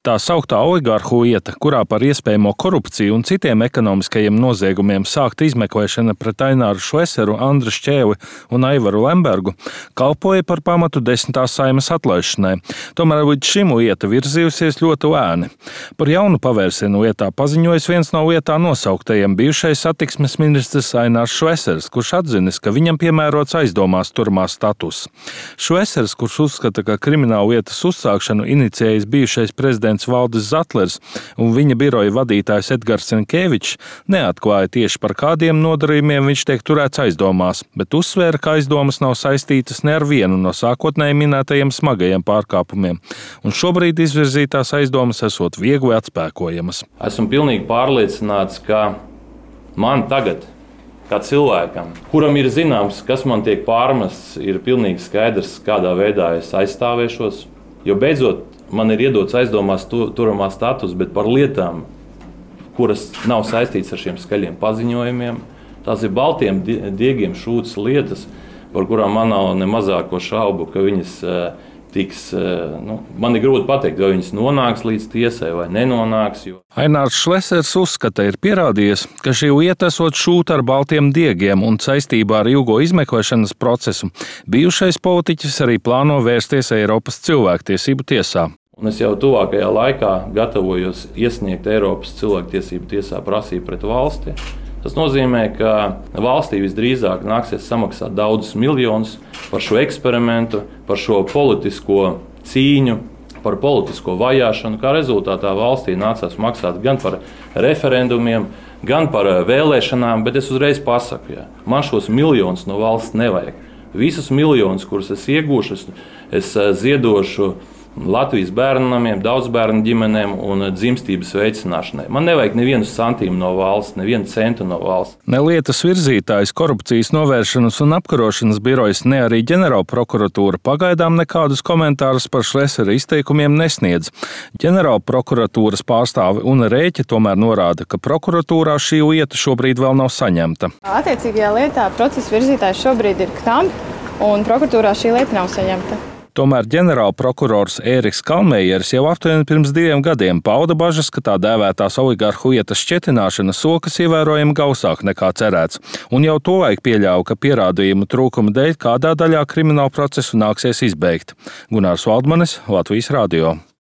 Tā sauktā oligarhu lieta, kurā par iespējamo korupciju un citiem ekonomiskajiem noziegumiem sākta izmeklēšana pret Aināru Šleseru, Andru Šķēli un Aivaru Lembergu, kalpoja par pamatu 10. Saeimas atlaišanai. Tomēr līdz šim lieta virzījusies ļoti lēni. Par jaunu pavērsienu lietā paziņojis viens no lietā nosauktajiem bijušais satiksmes ministrs Ainārs Šlesers, kurš atzinis, ka viņam piemērots aizdomās turamā status. Šlesers, kurš uzskata, ka krimināla lietas uzsākšanu inicijējis bijušais prezidents Valdis Zatlers un viņa biroja vadītājs Edgars Senkēvičs, neatklāja tieši par kādiem nodarījumiem viņš tiek turēts aizdomās, bet uzsvēra, ka aizdomas nav saistītas ne ar vienu no sākotnēji minētajiem smagajiem pārkāpumiem, un šobrīd izvirzītās aizdomas esot viegli atspēkojamas. Esmu pilnīgi pārliecināts, ka man tagad, kā cilvēkam, kuram ir zināms, kas man tiek pārmests, ir pilnīgi skaidrs, kādā veidā es aizstāvēšos, jo beidzot man ir iedots aizdomās turamā status, bet par lietām, kuras nav saistītas ar šiem skaļiem paziņojumiem. Tās ir baltiem diegiem šūtas lietas, par kurām man nav ne mazāko šaubu, ka viņas tiks, man ir grūti pateikt, vai viņas nonāks līdz tiesai vai nenonāks. Ainārs Šlesers uzskata, ir pierādījies, ka šī lieta esot šūta ar baltiem diegiem un saistībā ar ilgo izmeklēšanas procesu. Bijušais politiķis arī plāno vērsties Eiropas cilvēktiesību tiesā. Un es jau tuvākajā laikā gatavojos iesniegt Eiropas cilvēktiesību tiesā prasību pret valsti. Tas nozīmē, ka valstī visdrīzāk nāksies samaksāt daudzus miljonus par šo eksperimentu, par šo politisko cīņu, par politisko vajāšanu. Kā rezultātā valstī nācās maksāt gan par referendumiem, gan par vēlēšanām, bet es uzreiz pasaku, man šos miljonus no valsts nevajag. Visus miljonus, kurus es iegūšu, es ziedošu Latvijas bērnamiem, daudzbērnu ģimenēm un dzimstības veicināšanai. Man nevajag nevienu santīmu no valsts, nevienu centu no valsts. Ne lietas virzītājs, korupcijas novēršanas un apkarošanas birojas, ne arī ģenerālprokuratūra pagaidām nekādus komentārus par Šlesera izteikumiem nesniedz. Ģenerālprokuratūras pārstāve Una Rēķe tomēr norāda, ka prokuratūrā šī lieta šobrīd vēl nav saņemta. Attiecīgajā lietā procesa virzītājs šobrīd ir KTAM, un prokuratūrā šī lieta nav saņemta. Tomēr ģenerālprokurors Ēriks Kalmējers jau aptuveni pirms 2 gadiem pauda bažas, ka tā dēvētās oligarhu lietas šķetināšana sokas ievērojami gausāk nekā cerēts, un jau tolaik pieļāva, ka pierādījumu trūkuma dēļ kādā daļā kriminālu procesu nāksies izbeigt. Gunārs Valdmanis, Latvijas radio.